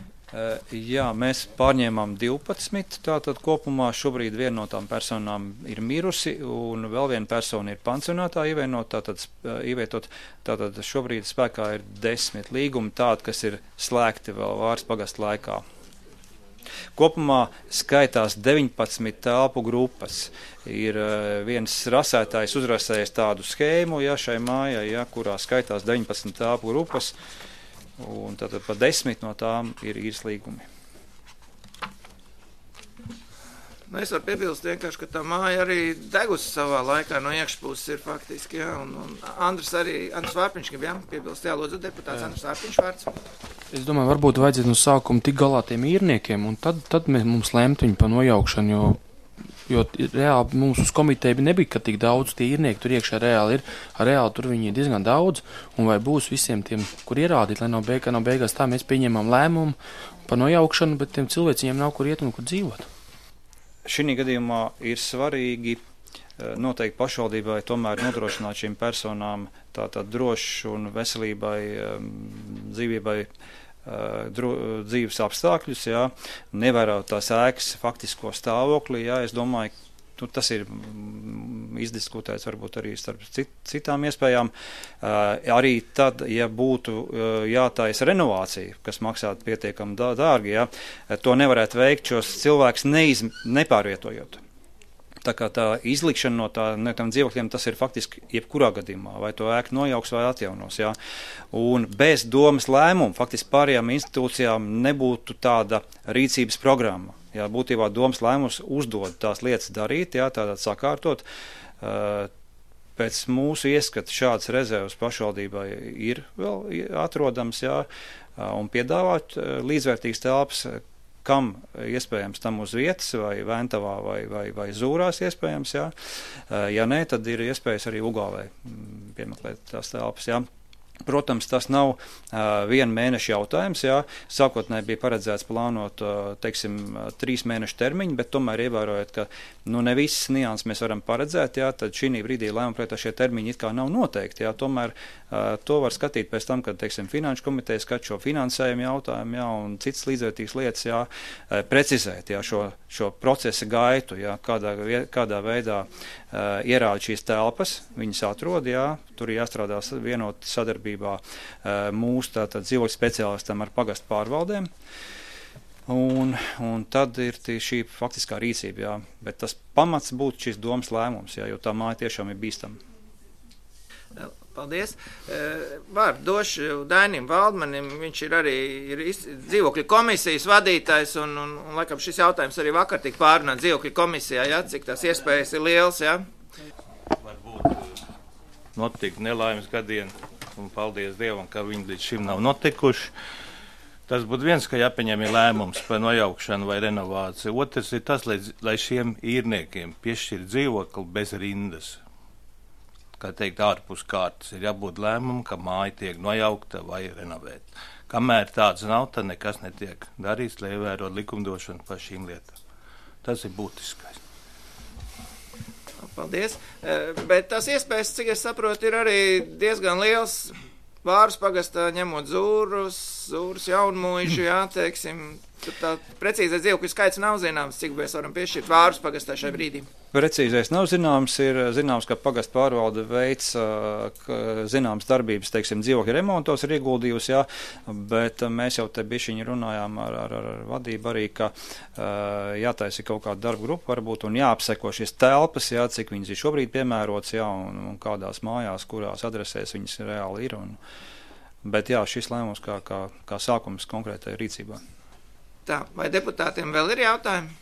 [SPEAKER 7] Jā, mēs pārņēmām divpadsmit, tātad kopumā šobrīd viena no tām personām ir mirusi un vēl viena persona ir pansionātā ievienot, tātad, ievietot, tātad šobrīd spēkā ir desmit līgumi tādi, kas ir slēgti vēl Vāras pagasta laikā. Kopumā skaitās deviņpadsmit telpu grupas. Ir viens rasētājs uzrasējis tādu schēmu, ja, šai mājai, ja, kurā skaitās deviņpadsmit telpu grupas. Un tātad pa desmit no tām ir īres līgumi.
[SPEAKER 1] Nu, es varu piebilst vienkārši, ka tā māja arī degusi savā laikā no iekšpuses ir faktiski, jā, un, un Andris arī, Andris Vārpiņš, jā, piebilst, jā, lūdzu, deputāts Andris Vārpiņš vārds.
[SPEAKER 8] Es domāju, varbūt vajadzētu no sākuma tik galā tiem īrniekiem, un tad, tad mēs mums lemt viņu pa nojaukšanu, jo Jo reāli mums uz komiteju nebija, ka tik daudz tie īrnieki tur iekšā reāli ir. Reāli tur viņi ir diezgan daudz, un vai būs visiem tiem, kur ierādīt, lai nav, beig, nav beigās tā, mēs pieņemam lēmumu par nojaukšanu, bet tiem cilvēciem nav kur iet un kur dzīvot.
[SPEAKER 7] Šī gadījumā ir svarīgi noteikti pašvaldībai tomēr nodrošināt šīm personām tātad drošu un veselībai, dzīvībai Dro, dzīves apstākļus, jā, nevērot tās ēkas faktisko stāvokli, jā, es domāju, nu, tas ir izdiskutēts varbūt arī starp cit, citām iespējām. Arī tad, ja būtu jātaisa renovācija, kas maksātu pietiekami dārgi, ja, to nevarētu veikt šos cilvēkus neiz, nepārvietojot. Tā kā tā izlikšana no tā, no tām dzīvokļiem, tas ir faktiski jebkurā gadījumā, vai to ēku nojauks vai atjaunos. Jā. Un bez domas lēmuma faktiski pārējām institūcijām nebūtu tāda rīcības programma. Jā, būtībā domas lēmums uzdod tās lietas darīt, jā, tādā sakārtot. Pēc mūsu ieskata šādas rezervas pašvaldībai ir vēl atrodams, jā, un piedāvāt līdzvērtīgas telpas, kam iespējams tam uz vietas, vai Ventavā, vai, vai, vai Zūrās iespējams, jā. Ja nē, tad ir iespējas arī Ugāvē piemeklēt tās telpas, jā. Protams, tas nav uh, viena mēneša jautājums, jā. Sākotnēji bija paredzēts plānot, uh, teiksim, trīs mēnešu termiņu, bet tomēr ievērojot, ka nu, ne visas nianses mēs varam paredzēt, jā, tad šī brīdī lēmuma projektā šie termiņi it kā nav noteikti, jā. Tomēr uh, to var skatīt pēc tam, kad, teiksim, finanšu komiteja skat šo finansējumu jautājumu, jā, un citas līdzvērtīgas lietas, jā, uh, precizēt, jā, šo, šo procesa gaitu, jā, kādā, kādā veidā uh, ierāda šīs telpas, viņas atrod, jā, tur ir jāstrādā vienot sadarbību mūsu tātad dzīvokļu speciālistam ar pagastu pārvaldēm. Un, un tad ir šī faktiskā rīcība, jā. Bet tas pamats būtu šis domas lēmums, jā, jo tā māja tiešām ir bīstama.
[SPEAKER 1] Paldies. Vārdu došu Dainim Valdmanim, viņš ir arī ir dzīvokļu komisijas vadītājs, un, un, un laikam šis jautājums arī vakar tika pārunāt dzīvokļu komisijā, jā, cik tās iespējas ir liels, jā.
[SPEAKER 9] Varbūt notika nelaimes gadieni. Un paldies Dievam, ka viņi līdz šim nav notikuši. Tas būtu viens, ka jāpieņem ir lēmums par nojaukšanu vai renovāciju. Otrs ir tas, lai, lai šiem īrniekiem piešķir dzīvokli bez rindas. Kā teikt, ārpus kārtas ir jābūt lēmumam, ka māja tiek nojaukta vai renovēta. Kamēr tāds nav, tad nekas netiek darīts, lai ievērot likumdošanu par šīm lietām. Tas ir būtiskais.
[SPEAKER 1] Paldies, bet tās iespējas, cik es saprotu, ir arī diezgan liels. Vārus pagastā ņemot Zūrus, Zūrus jaunmuižu, jā, teiksim, tur tā precīzais dzīvokļu skaits nav zināms, cik mēs varam piešķirt Vārus pagastā šai brīdī.
[SPEAKER 7] Precīzais nav zināms, ir zināms, ka pagastu pārvalde veids zināmas darbības, teiksim, dzīvokļu remontos ir ieguldījusi, jā, bet mēs jau te bišķiņi runājām ar, ar, ar vadību arī, ka jātaisa kaut kāda darba grupa varbūt un jāapseko šīs telpas, jā, cik viņas ir šobrīd piemērots, jā, un, un kādās mājās, kurās adresēs viņas reāli ir. Un, bet jā, šis lēmums kā, kā, kā sākums konkrētai rīcībā.
[SPEAKER 1] Tā, vai deputātiem vēl ir jautājumi?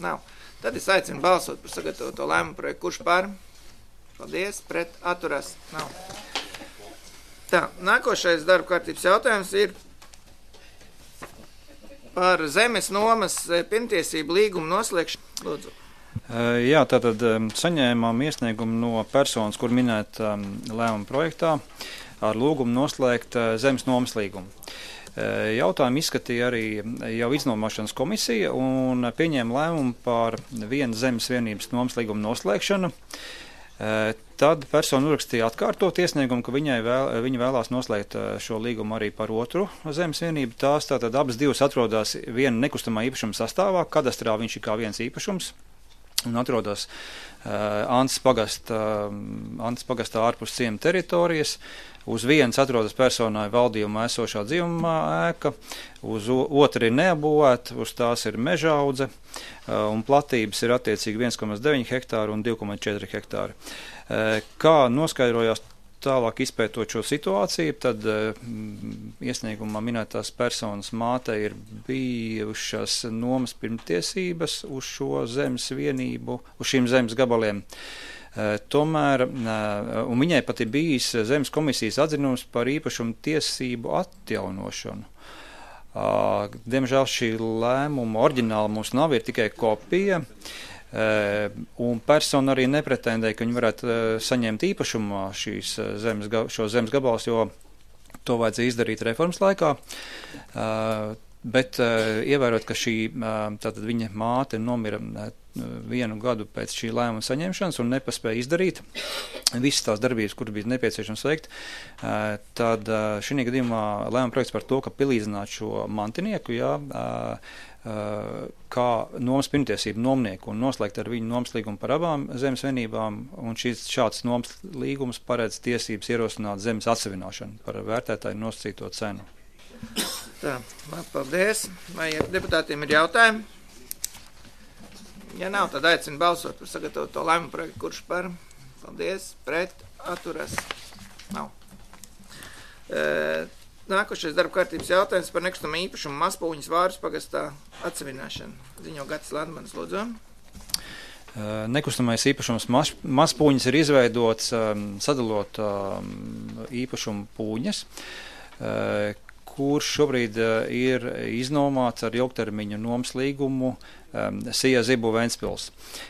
[SPEAKER 1] Nav. Tad es aicinu balsot par sagatavoto lēmumu projektu. Kurš par? Paldies, pret, atturās. Nav. Tā, nākošais darba kārtības jautājums ir par zemes nomas pirmtiesību līgumu noslēgšanu. Lūdzu.
[SPEAKER 7] Jā, tātad saņēmām iesniegumu no personas, kur minēt lēmumu projektā, ar lūgumu noslēgt zemes nomas līgumu. Jautājumu izskatīja arī jau iznomāšanas komisija un pieņēma lēmumu par vienu zemes vienības nomas līgumu noslēgšanu. Tad persona uzrakstīja atkārtot iesniegumu, ka viņai vēl, viņa vēlās noslēgt šo līgumu arī par otru zemes vienību. Tās tātad abas divas atrodas viena nekustamā īpašuma sastāvā, kadastrā viņš ir kā viens īpašums. Un atrodas uh, Antas pagasta, uh, Antas pagastā ārpus ciema teritorijas. Uz vienas atrodas personai valdījumā esošā dzīvumā ēka, uz otru ir neapbūvēta, uz tās ir mežaudze, uh, un platības ir attiecīgi viens komats deviņi hektāri un divi komats četri hektāri. Uh, kā noskaidrojās tālāk izpētot šo situāciju, tad uh, iesniegumā minētās personas mātei ir bijušas nomas pirmtiesības uz šo zemes vienību, uz šīm zemes gabaliem. Uh, tomēr, uh, un viņai pat ir bijis zemes komisijas atzinums par īpašumu tiesību atjaunošanu. Uh, diemžēl šī lēmuma oriģināla mums nav, ir tikai kopija. Uh, un persona arī nepretendēja, ka viņi varētu uh, saņemt īpašumā šīs zemes, šo zemes gabalus, jo to vajadzēja izdarīt reformas laikā. Uh, bet uh, ievērot, ka šī uh, tātad viņa māte nomira uh, vienu gadu pēc šī lēmuma saņemšanas un nepaspēja izdarīt visas tās darbības, kuras bija nepieciešams veikt, tad šī gadījumā lēmuma projekts par to, ka pilīdzināt šo mantinieku, jā, kā nomas pirmtiesību nomnieku un noslēgt ar viņu nomas līgumu par abām zemes vienībām, un šis šāds nomas līgums paredz tiesības ierosināt zemes atsevināšanu par vērtētāju nosacīto cenu.
[SPEAKER 1] Tā, labi, paldies. Vai deputātiem ir jautājumi? Ja nav, tad aicinu balsot par sagatavoto lēmumu projektu. Kurš par? Paldies. Pret. Atturas. Nav. E, nākošais darba kārtības jautājums par nekustamā īpašumu Mazpūņas Vāras pagastā atsevināšanu. Ziņo Gatis Landmanis, lūdzu.
[SPEAKER 7] Nekustamais īpašums Mazpūņas ir izveidots sadalot īpašumu pūņas, kurš šobrīd ir iznomāts ar ilgtermiņu nomas līgumu um, Sija Zibu Ventspils.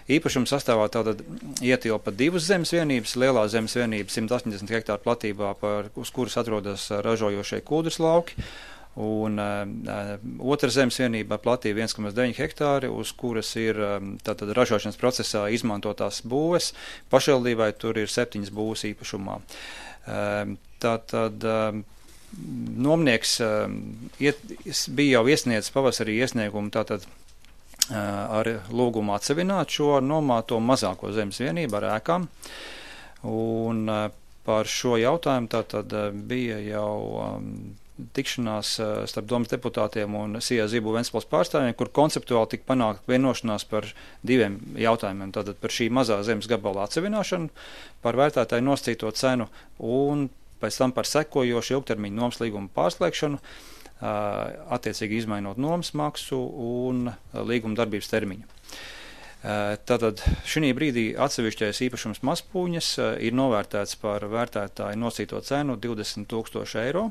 [SPEAKER 7] Īpašums sastāvā tātad ietilpa divas zemes vienības, lielā zemes vienība simt astoņdesmit hektāru platībā, par, uz kuras atrodas ražojošie kūdras lauki, un uh, otra zemes vienība platība viens komats deviņi hektāri, uz kuras ir um, tātad ražošanas procesā izmantotās būves. Pašvaldībai tur ir septiņas būves īpašumā. Um, tātad um, Nomnieks uh, iet, bija jau iesniedzis pavasarī iesniegumu tātad uh, ar lūgumu atsevināt šo nomāto mazāko zemes vienību ar ēkām. Un uh, par šo jautājumu tātad uh, bija jau um, tikšanās uh, starp domas deputātiem un Sija Zibu Ventspils pārstāvjiem, kur konceptuāli tika panākt vienošanās par diviem jautājumiem. Tātad par šī mazā zemes gabala atsevināšanu, par vērtētāju nosacīto cenu un pēc tam par sekojošu ilgtermiņu nomas līgumu pārslēgšanu, attiecīgi izmainot nomas maksu un līguma darbības termiņu. Tātad šī brīdī atsevišķais īpašums Mazpūņas ir novērtēts par vērtētāju nosacīto cenu divdesmit tūkstoši eiro.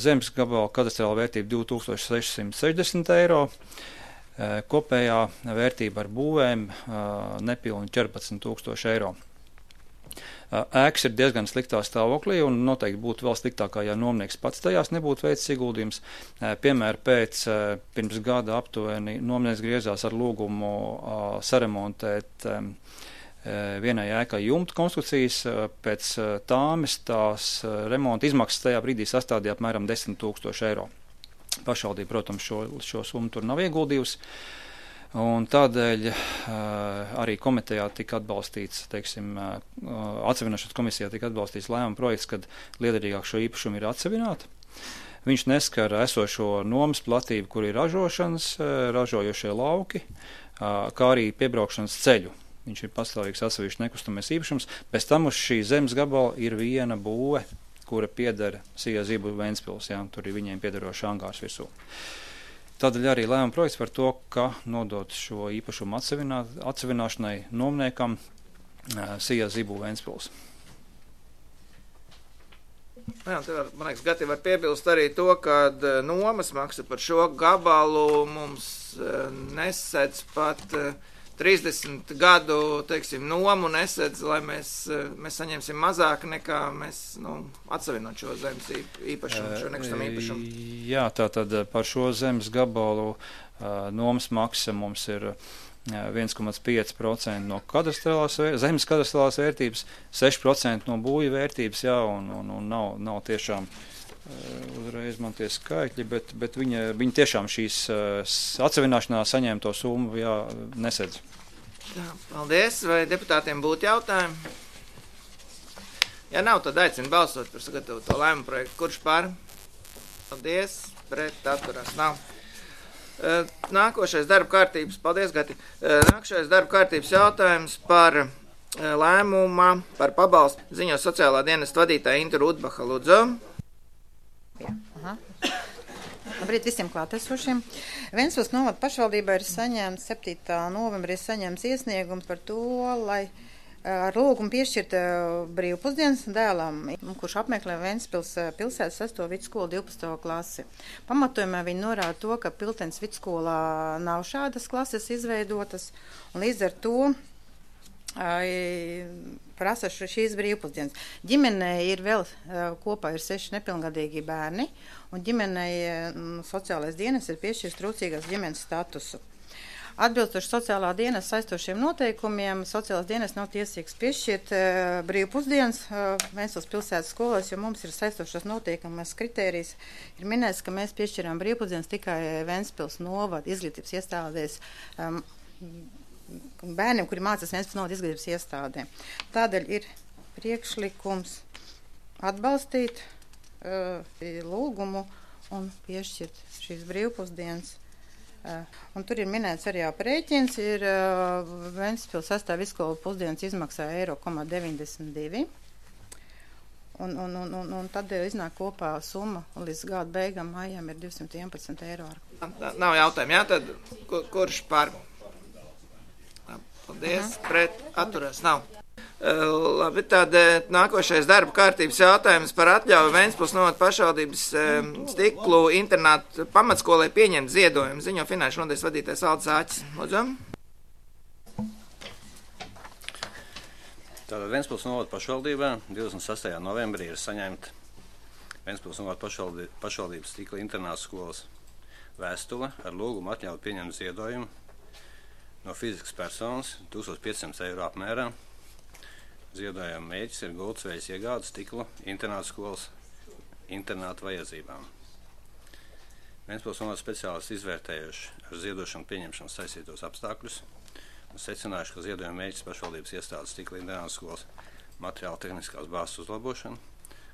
[SPEAKER 7] Zemes gabala kadastrāla vērtība divi tūkstoši sešsimt sešdesmit eiro. Kopējā vērtība ar būvēm nepilni četrpadsmit tūkstoši eiro. Ēkas ir diezgan sliktā stāvoklī un noteikti būtu vēl sliktākā, ja nomnieks pats tajās nebūtu veicis ieguldījums. Piemēram, pēc pirms gada aptuveni nomnieks griezās ar lūgumu saremontēt vienai ēkai jumta konstrukcijas. Pēc tāmes tās remonta izmaksas tajā brīdī sastādīja apmēram desmit tūkstoši eiro. Pašvaldība, protams, šo, šo summu tur nav ieguldījusi. Un tādēļ uh, arī komitejā tika atbalstīts, teiksim, uh, atsevināšanas komisijā tika atbalstīts lēmuma projekts, kad liederīgāk šo īpašumu ir atsevināt. Viņš neskar esošo nomas platību, kur ir ražošanas, uh, ražojošie lauki, uh, kā arī piebraukšanas ceļu. Viņš ir pastāvīgs atsevišķi nekustamais īpašums. Pēc tam uz šī zemes gabala ir viena būve, kura pieder Sija Zibu Ventspils, jā, tur ir viņiem piederošs angārs virsū. Tādēļ arī lēmuma projekts par to, ka nodot šo īpašumu atsevināšanai nomniekam Sija Zibu Ventspils.
[SPEAKER 1] Jā, var, man liekas, Gati var piebilst arī to, ka nomas maksa par šo gabalu mums nesedz pat trīsdesmit gadu, teiksim, nomu nesedz, lai mēs, mēs saņemsim mazāk nekā mēs, nu, atsevinot šo zemes īpašumu, šo nekustamā īpašumu.
[SPEAKER 7] Jā, tātad par šo zemes gabalu nomas maksa mums ir viens komats pieci procenti no kadastrālās, zemes kadastrālās vērtības, seši procenti no būju vērtības, jā, un, un, un nav, nav tiešām uzreiz man tie skaitļi, bet, bet viņa, viņa tiešām šīs atsevināšanā saņemto summu, jā, nesedz.
[SPEAKER 1] Tā, paldies. Vai deputātiem būtu jautājumi? Ja nav, tad aicinu balsot par sagatavoto lēmumu projektu. Kurš par? Paldies. Pret atturās nav. Nākošais darba kārtības, paldies, Gati. Nākošais darba kārtības jautājums par lēmumā par pabalstu ziņo sociālā dienesta vadītāja Inta Rudbaha. Lūdzu.
[SPEAKER 10] Jā, aha. Labrīt visiem klātesošiem. Ventspils novada pašvaldībā ir saņemts septītā novembrī saņemts iesniegums par to, lai ar lūgumu piešķirt brīvpusdienas dēlam, kurš apmeklē Ventspils pilsētas sesto vidusskolu divpadsmito klasi. Pamatojumā viņi norāda to, ka Piltens vidusskolā nav šādas klases izveidotas, un līdz ar to prasa šīs brīvpusdienas. Ģimenei ir vēl kopā ir seši nepilngadīgi bērni, un ģimenei sociālais dienas ir piešķirs trūcīgās ģimenes statusu. Atbilstoši sociālā dienas saistošiem noteikumiem, sociālās dienas nav tiesīgs piešķirt uh, brīvu pusdienas uh, Ventspils pilsētas skolās, jo mums ir saistošas noteikumas kritērijas. Ir minēts, ka mēs piešķirām brīvpusdienas tikai Ventspils novada izglītības iestādēs um, bērniem, kuri mācās Ventspils novada izglītības iestādē. Tādēļ ir priekšlikums atbalstīt uh, lūgumu un piešķirt šīs brīvpusdienas. Uh, un tur ir minēts arī aprēķins, ir uh, Ventspils sastāv vidusskolu pusdienas izmaksā eiro komā deviņdesmit divi. Un, un, un, un, un tad iznāk kopā summa līdz gada beigām maijām ir divsimt vienpadsmit eiro.
[SPEAKER 1] Nav jautājumu, jā, tad kur, kurš par? Paldies, uh-huh. Pret atturās nav. Uh, labi, tad uh, nākošais darba kārtības jautājums par atļauju Ventspils novada pašvaldības uh, stiklu internātu pamatskolai pieņemt ziedojumu. Ziņo finanšu nodaļas vadītājs Aldis Āķis. Lūdzu.
[SPEAKER 11] Tātad Ventspils novada pašvaldībā divdesmit sastajā novembrī ir saņemta Ventspils novada pašvaldī, pašvaldības stikla internātu skolas vēstule ar lūgumu atļaut pieņemt ziedojumu no fiziskas personas tūkstoš piecsimt eiro apmērā. Ziedojuma mērķis ir gultsvejas iegādes stikla internātu skolas internātu vajadzībām. Ventspils novada speciālisti izvērtējuši ar ziedošanu pieņemšanu saistītos apstākļus un secinājuši, ka ziedojuma mērķis pašvaldības iestādes stikla internātu skolas materiāla tehniskās bāzes uzlabošana,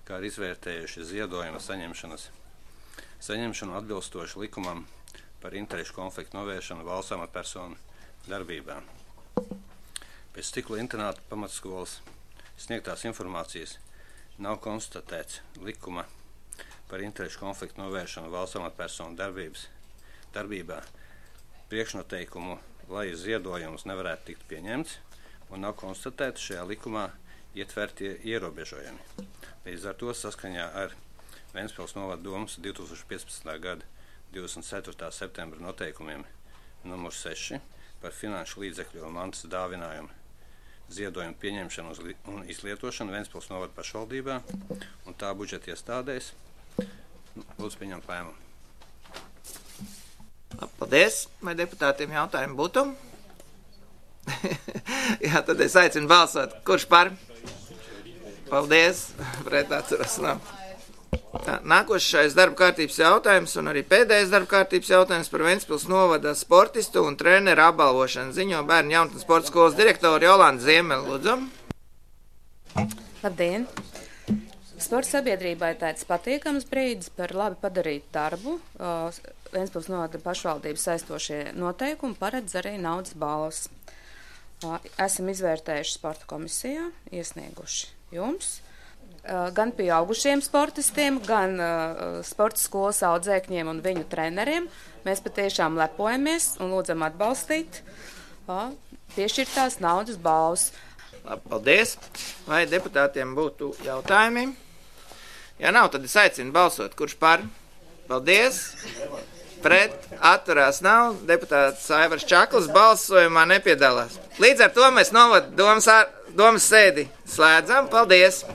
[SPEAKER 11] kā arī izvērtējuši ziedojuma saņemšanas saņemšanu atbilstoši likumam par interešu konfliktu novēršanu valsts amatpersonu darbībā. Pēc stikla internāta pamatskolas sniegtās informācijas nav konstatēts likuma par interešu konfliktu novēršanu valsts amatpersonu darbības darbībā priekšnoteikumu, lai ziedojums nevarētu tikt pieņemts, un nav konstatēti šajā likumā ietvertie ierobežojumi. Līdz ar to saskaņā ar Ventspils novada domas divi tūkstoši piecpadsmitā gada divdesmit ceturtā septembra noteikumiem numur seši par finanšu līdzekļu un mantas dāvinājumu ziedojumu pieņemšanu un izlietošanu Ventspils novada pašvaldībā un tā budžeta iestādēs. Lūdzu pieņemt lēmumu.
[SPEAKER 1] Paldies. Vai deputātiem jautājumi būtu? Jā, tad es aicinu balsot. Kurš par? Paldies. Pret atturas nav. Tā, nākošais darba kārtības jautājums un arī pēdējais darba kārtības jautājums par Ventspils novada sportistu un treneru apbalvošanu. Ziņo bērnu jaunatnes sporta skolas direktori Jolanta Ziemele. Lūdzu.
[SPEAKER 12] Labdien! Sporta sabiedrībai tāds patīkams brīdis par labi padarītu darbu. Uh, Ventspils novada pašvaldības saistošie noteikumi paredz arī naudas balvas. Uh, esam izvērtējuši sporta komisijā, iesnieguši jums. Uh, gan pieaugušiem sportistiem, gan uh, sporta skolas audzēkņiem un viņu treneriem. Mēs patiešām lepojamies un lūdzam atbalstīt uh, piešķirtās naudas balvas.
[SPEAKER 1] Labi, paldies. Vai deputātiem būtu jautājumi? Ja nav, tad es aicinu balsot. Kurš par? Paldies. Pret atturās nav. Deputāts Aivars Čakls balsojumā nepiedalās. Līdz ar to mēs novada domas, domas sēdi slēdzam. Paldies.